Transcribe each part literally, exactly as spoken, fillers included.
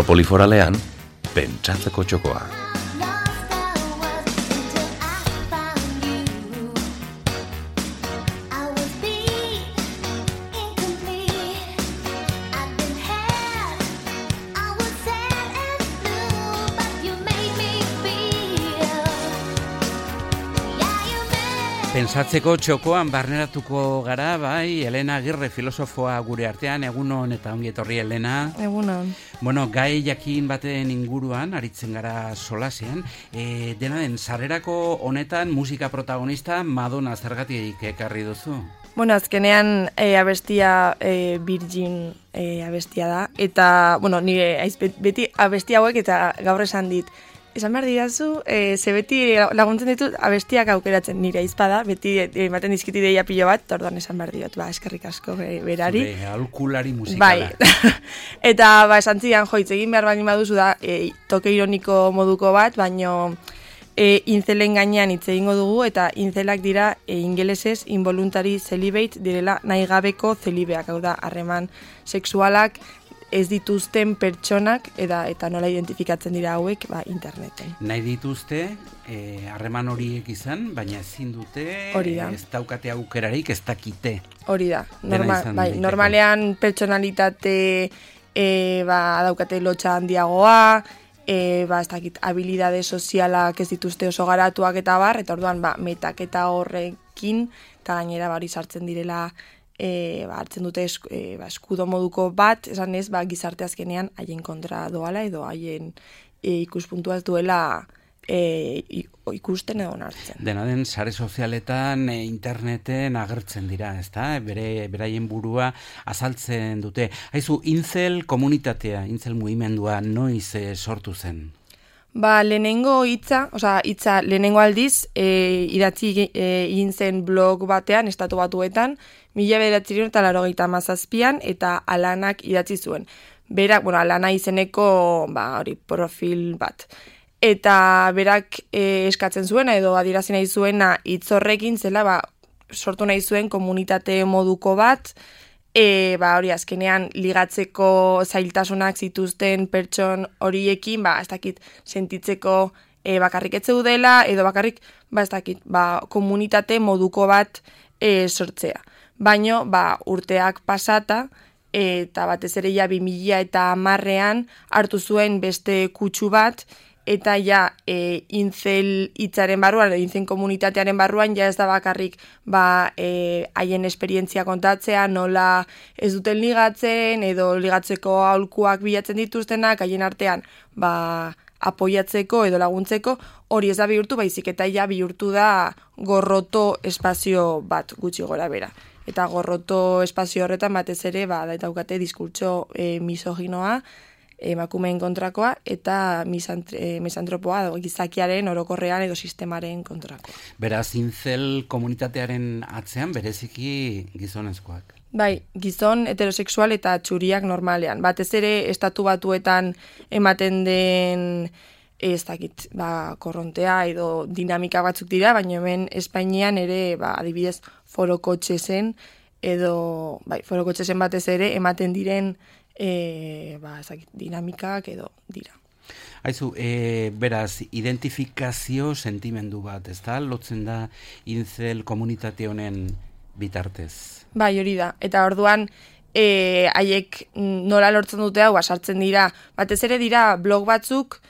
Metropoli foralean, pentsatzeko txokoa. Pentsatzeko txokoan barneratuko gara, bai, Elena Agirre filosofoa gure artean, egunon eta ongi etorri Elena. Egunon. Bueno, gai jakin baten inguruan, aritzen gara solasean, e, dena den, sarrerako honetan musika protagonista Madonna zergatik ekarri duzu? Bueno, azkenean e, abestia e, Virgin e, abestia da, eta, bueno, nire aiz, beti abestia hauek eta gaur esan dit, esan behar dirazu, e, ze beti laguntzen ditut abestiak aukeratzen nire aizpada, beti ematen dizkiti deia pilo bat, orduan esan behar diot, ba, eskerrik asko e, berari. Zure aholkulari musikala. Bai, eta ba, esan zidan, joitz, egin behar bani baduzu da, e, toke ironiko moduko bat, baino e, inzelen gainean hitz egingo dugu, eta inzelak dira e, ingelesez involuntary celibate direla nahi gabeko zelibeak, hau da, harreman sexualak, ez dituzten pertsonak eta eta nola identifikatzen dira hauek ba, interneten. Nahi dituzte harreman e, horiek izan, baina ezin dute, ez daukate aukerarik, ez dakite. Hori da, Norma, bai, normalean pertsonalitate e, ba, daukate lotxa handiagoa, e, ba, ez dakit, habilidade sozialak ez dituzte oso garatuak eta bar, eta orduan ba, metaketa horrekin, eta gainera bari sartzen direla, E, ba, hartzen dute esku, e, ba, eskudo moduko bat, esan ez, ba, gizarte azkenean haien kontra doala edo haien e, ikuspuntua ez duela e, ikusten edo onartzen. Dena den, sare sozialetan, e, interneten agertzen dira, ezta? Bere, beraien burua azaltzen dute. Haizu, intzel komunitatea, intzel mugimendua noiz e, sortu zen? Ba, lehenengo hitza, osea, hitza lehenengo aldiz, e, idatzi e, egin zen blog batean, estatu batuetan, mila bederatziehun eta laurogeita hamazazpian, eta Alanak idatzi zuen. Berak, bueno, Alana izeneko, ba, hori, profil bat. Eta berak e, eskatzen zuena, edo adierazi nahi zuena hitz horrekin zela, ba, sortu nahi zuen komunitate moduko bat, E, ba, hori azkenean ligatzeko zailtasunak zituzten pertson horiekin, ba, ez dakit sentitzeko e, bakarrik etze dela, edo bakarrik, ba, ez dakit, ba, komunitate moduko bat e, sortzea. Baino, ba, urteak pasata, eta batez ere ja bi mila eta hamarrean hartu zuen beste kutsu bat, eta ja e, intzel hitzaren barruan, intzel komunitatearen barruan, ja ez da bakarrik ba, e, haien esperientzia kontatzea, nola ez duten ligatzen, edo ligatzeko aholkuak bilatzen dituztenak, haien artean ba, apoiatzeko edo laguntzeko, hori ez da bihurtu, baizik eta ja bihurtu da gorroto espazio bat gutxi gora bera. Eta gorroto espazio horretan batez ere, ba, daukate diskurtso e, misoginoa, emakumeen kontrakoa eta misantropoa gizakiaren orokorrean edo sistemaren kontrakoa. Beraz, intzel komunitatearen atzean bereziki gizonezkoak. Bai, gizon heterosexual eta txuriak normalean. Batez ere estatu batuetan ematen den ez dakit, ba, korrontea edo dinamika batzuk dira, baina hemen Espainian ere, ba, adibidez, forokotxesen edo, bai, forokotxesen batez ere ematen diren E, ba, ezakit, dinamikak edo dira. Haizu, e, beraz, identifikazio sentimendu bat, ez da? Lotzen da intzel komunitate honen bitartez. Bai, hori da. Eta orduan, e, haiek nola lortzen dute hau, sartzen dira, batez ere dira blog batzuk,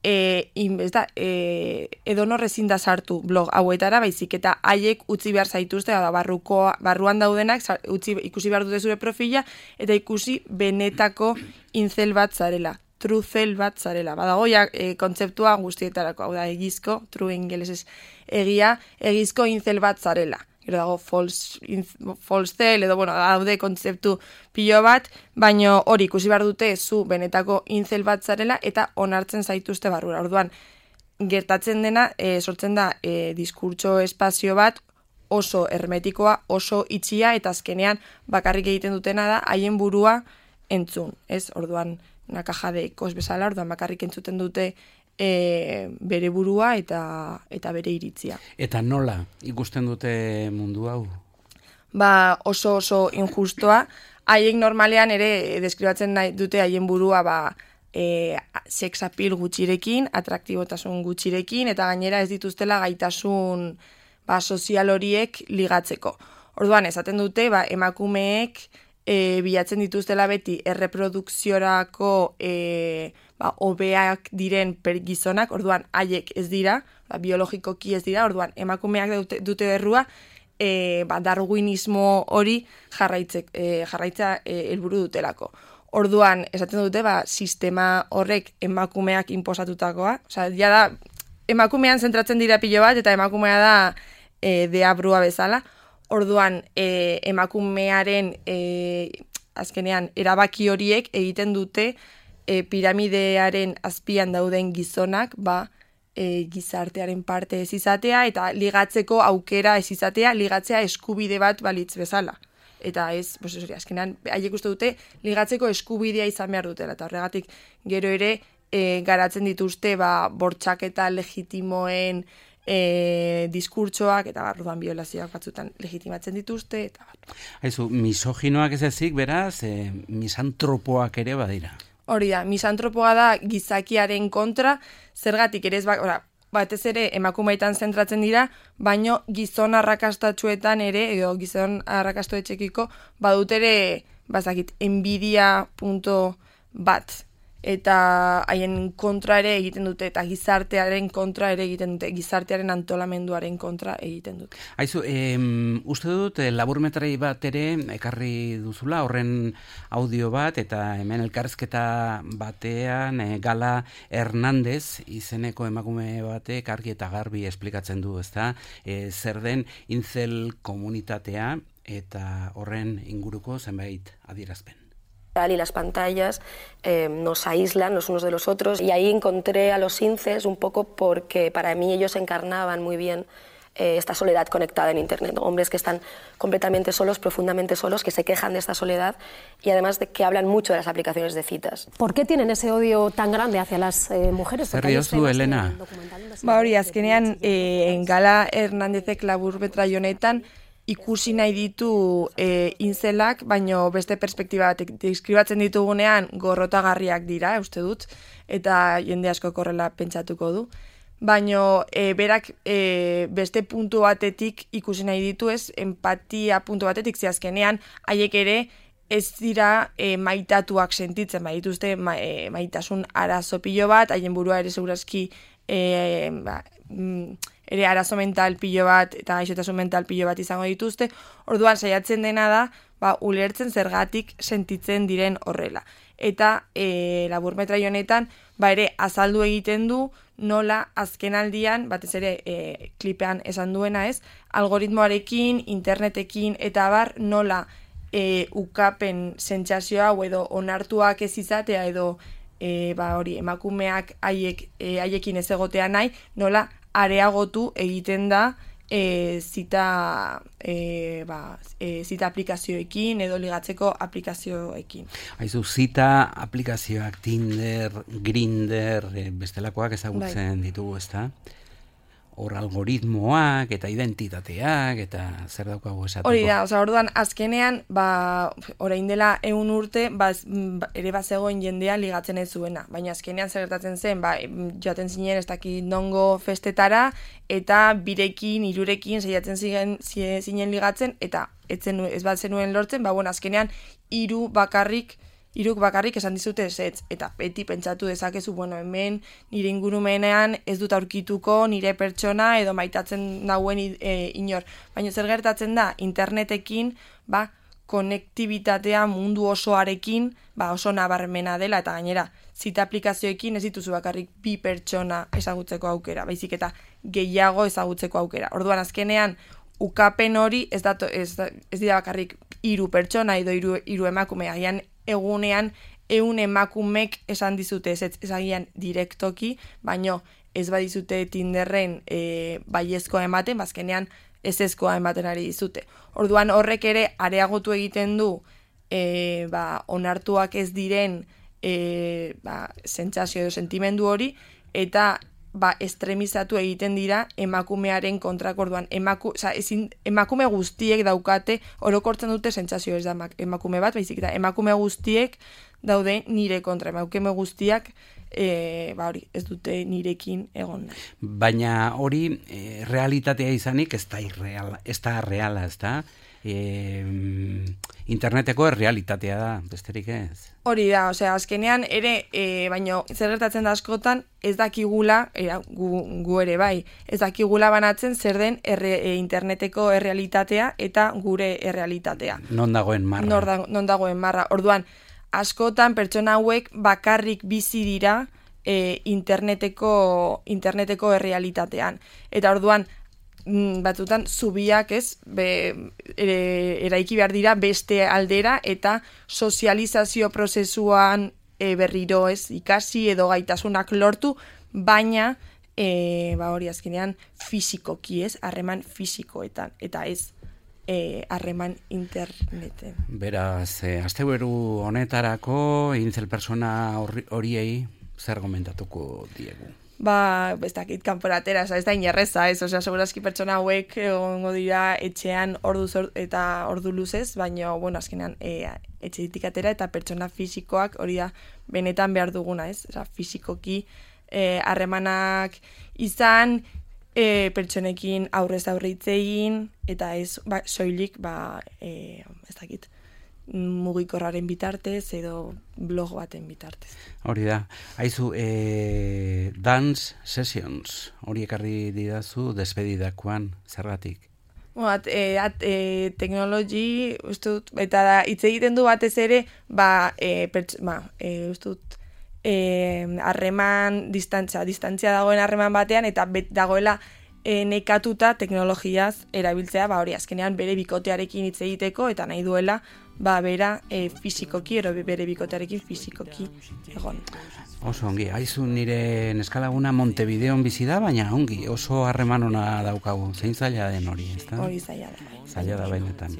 E, in, ez da, e, edo norrezin da sartu blog hauetara, baizik eta haiek utzi behar zaituzte, da, barruko, barruan daudenak utzi, ikusi behar dute zure profila, eta ikusi benetako intzel bat zarela, truzel bat zarela. Badago ja e, kontzeptua guztietarako, hau da, egizko, true ingelesez egia, egizko intzel bat zarela. Gero dago false, false cell, edo, bueno, daude kontzeptu pilo bat, baino hori ikusi behar dute zu benetako intzel bat zarela eta onartzen zaituzte barrura. Orduan, gertatzen dena, e, sortzen da, e, diskurtso espazio bat oso hermetikoa, oso itxia, eta azkenean bakarrik egiten dutena da haien burua entzun, ez? Orduan, una caja de ecos bezala, orduan bakarrik entzuten dute E, bere burua eta eta bere iritzia. Eta nola ikusten dute mundu hau? Ba, oso oso injustoa. Haiek normalean ere deskribatzen nahi dute haien burua ba, e, sex appeal gutxirekin, atraktibotasun gutxirekin, eta gainera ez dituztela gaitasun ba, sozial horiek ligatzeko. Orduan, esaten dute, ba, emakumeek e, bilatzen dituztela beti erreprodukziorako e, ba, hobeak diren per gizonak, orduan haiek ez dira, ba, biologikoki ez dira, orduan emakumeak dute, dute errua, e, ba, darwinismo hori jarraitze, e, jarraitza e, helburu dutelako. Orduan, esaten dute, ba, sistema horrek emakumeak inposatutakoa, osea, ja da, emakumean zentratzen dira pilo bat, eta emakumea da e, deabrua bezala. Orduan, e, emakumearen e, azkenean erabaki horiek egiten dute e, piramidearen azpian dauden gizonak, ba, e, gizartearen parte ez izatea, eta ligatzeko aukera ez izatea, ligatzea eskubide bat balitz bezala. Eta ez, pues, hori, azkenean, haiek uste dute ligatzeko eskubidea izan behar dutela, eta horregatik gero ere e, garatzen dituzte ba, bortxaketa legitimoen e, diskurtsoak, eta barruan biolazioak batzutan legitimatzen dituzte, eta bar. Haizu, misoginoak ez ezik, beraz, e, misantropoak ere badira. Hori da, misantropoa da gizakiaren kontra, zergatik ere ez bak, ora, batez ere emakumeetan zentratzen dira, baino gizon arrakastatsuetan ere, edo gizon arrakastoetxekiko, badut ere, bazakit, enbidia punto bat. Eta haien kontra ere egiten dute, eta gizartearen kontra ere egiten dute, gizartearen antolamenduaren kontra egiten dute. Haizu, em, uste dut, laburmetrai bat ere ekarri duzula, horren audio bat, eta hemen elkarrizketa batean e, Gala Hernandez izeneko emakume batek argi eta garbi esplikatzen du, ezta? E, zer den incel komunitatea eta horren inguruko zenbait adierazpen. Y las pantallas eh, nos aíslan los unos de los otros, y ahí encontré a los incels un poco porque para mí ellos encarnaban muy bien eh, esta soledad conectada en Internet, ¿no? Hombres que están completamente solos, profundamente solos, que se quejan de esta soledad y además de que hablan mucho de las aplicaciones de citas. ¿Por qué tienen ese odio tan grande hacia las eh, mujeres? Zer diozu, Elena? Ba hori, azkenean eh, Gala Hernandezek laburmetraio honetan ikusi nahi ditu e, inzelak, baino beste perspektiba batek deskribatzen ditugunean gorrotagarriak dira, uste dut, eta jende asko korrela pentsatuko du. Baino e, berak e, beste puntu batetik ikusi nahi ditu, ez, empatia puntu batetik, zehazkenean haiek ere ez dira e, maitatuak sentitzen, baituzte ma, e, maitasun arazo pilo bat, haien burua ere segurazki e, ba, mm, ere arazo mental pilo bat eta gaixotasun mental pilo bat izango dituzte, orduan saiatzen dena da, ba, ulertzen zergatik sentitzen diren horrela. Eta e, laburmetraio honetan, ba ere azaldu egiten du nola azkenaldian, batez ere e, klipean esan duena ez, algoritmoarekin, internetekin eta bar nola e, ukapen sentsazioa edo onartuak ez izatea edo e, ba hori emakumeak haiek e, haiekin ez egotea nahi, nola areagotu egiten da e, zita, e, ba, e, zita aplikazioekin edo ligatzeko aplikazioekin. Haizu, zita aplikazioak Tinder, Grindr, e, bestelakoak ezagutzen bai. Ditugu, ezta? Hor algoritmoak eta identitateak eta zer daukagu esateko. Hori da, oza, orduan azkenean, ba, orain dela ehun urte, ba, ere bazegoen jendea ligatzen ez zuena. Baina azkenean zer gertatzen zen, ba, joaten zinen ez dakit nongo festetara, eta birekin, hirurekin saiatzen ziren, zinen ligatzen, eta etzen, ez bat zenuen lortzen, ba, bueno, azkenean hiru bakarrik, Iruk bakarrik esan dizute ezetz, eta beti pentsatu dezakezu, bueno, hemen nire ingurumenean ez dut aurkituko nire pertsona edo maitatzen dauen e, inor. Baina zer gertatzen da, internetekin, ba, konektibitatea mundu osoarekin, ba, oso nabarmena dela, eta gainera, zita aplikazioekin ez dituzu bakarrik bi pertsona ezagutzeko aukera, baizik eta gehiago ezagutzeko aukera. Orduan azkenean, ukapen hori ez, dato, ez, ez dira bakarrik hiru pertsona edo hiru, hiru emakume, agian egunean ehun emakumek esan dizute ez ezagian direktoki, baino ez badizute Tinderren e, baiezkoa ematen, bazkenean ez ezkoa ematen ari dizute. Orduan horrek ere areagotu egiten du e, ba, onartuak ez diren e, ba, sentsazio edo sentimendu hori, eta ba, estremizatu egiten dira emakumearen kontrako. Orduan, emaku, oza, ezin, emakume guztiek daukate, orokortzen dute sentsazio ez da emakume bat, baizik eta emakume guztiek daude nire kontra, emakume guztiak e, ba hori, ez dute nirekin egon nahi. Baina hori e, realitatea izanik ez da irreala, ez da reala, ez da? E, interneteko realitatea da, besterik ez? Hori da, osea, azkenean ere, e, baino zer gertatzen da askotan, ez dakigula, era, gu, gu ere bai, ez dakigula banatzen zer den erre, e, interneteko errealitatea eta gure errealitatea. Non dagoen marra. Non, da, non dagoen marra. Orduan, askotan pertsona hauek bakarrik bizi dira e, interneteko, interneteko errealitatean. Eta orduan, batzutan zubiak ez be, ere, eraiki behar dira beste aldera eta sozializazio prozesuan e, berriro ez ikasi edo gaitasunak lortu, baina e, ba hori azkenean fisikoki ez, harreman fisikoetan eta ez harreman e, interneten. Beraz, e, asteburu honetarako Incel persona horiei zer gomentatuko diegu? Ba, ez dakit kanporatera, ez da inerreza, ez, osea, segurazki pertsona hauek egongo dira etxean ordu zor, eta ordu luzez, baina, bueno, azkenean, e, etxetik atera eta pertsona fisikoak hori da benetan behar duguna, ez? Osea, fisikoki harremanak izan, e, pertsonekin aurrez aurre hitz egin, eta ez, ba, soilik, ba, e, ez dakit, mugikorraren bitartez edo blog baten bitartez. Hori da. Haizu, e, dance sessions, hori ekarri didazu despedidakoan, zergatik? Bueno, at, e, at, e, teknologi, ustut, eta da, hitz egiten du batez ere, ba, e, perts, ba, e, ustut, harreman, e, distantzia, distantzia dagoen harreman batean, eta bet dagoela e, nekatuta teknologiaz erabiltzea, ba, hori azkenean bere bikotearekin hitz egiteko, eta nahi duela, ba, bera e, fizikoki, ero bere bikotearekin fizikoki egon. Oso ongi, haizu nire neskalaguna Montevideon bizi da, baina ongi, oso harreman ona daukagu, zein zaila den hori, ez da? Hori zaila da. Zaila da benetan.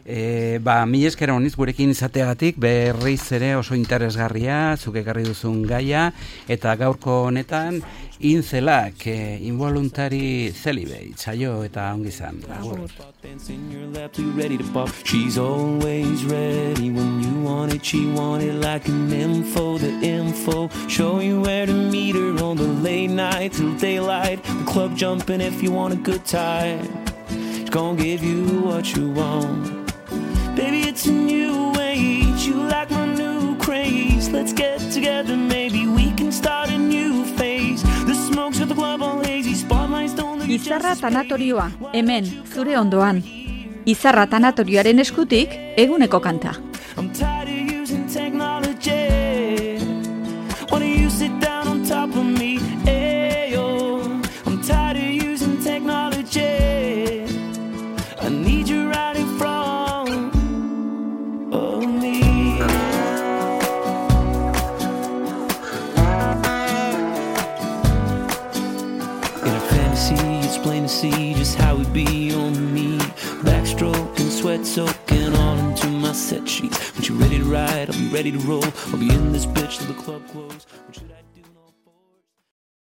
E, ba, mi esker honiz gurekin izateagatik, berriz ere oso interesgarria, zuk ekarri duzun gaia, eta gaurko honetan, Incelak, eh, involuntary celibate, saio eta ongi zan. Agur. She's always ready when you want it, she want it like an info, the info, show you where to meet her on the late night till daylight, the club jumping if you want a good time, she's gonna give you what you want, baby it's a new age, you like my new craze, let's get together, maybe we can start a new phase, the smokes at the club all hazy, spotlights don't look. Izarra tanatorioa, hemen, zure ondoan. Izarra tanatorioaren eskutik, eguneko kanta. I'm tired of using technology. Why don't you sit down on top of me? Ayo. I'm tired of using technology. I need you right in front of me. In a fantasy, it's plain to see just how it be on me. Backstroke and sweat soaking all into my set sheets. When you're ready to ride, I'll be ready to roll. I'll be in this bitch till the club close.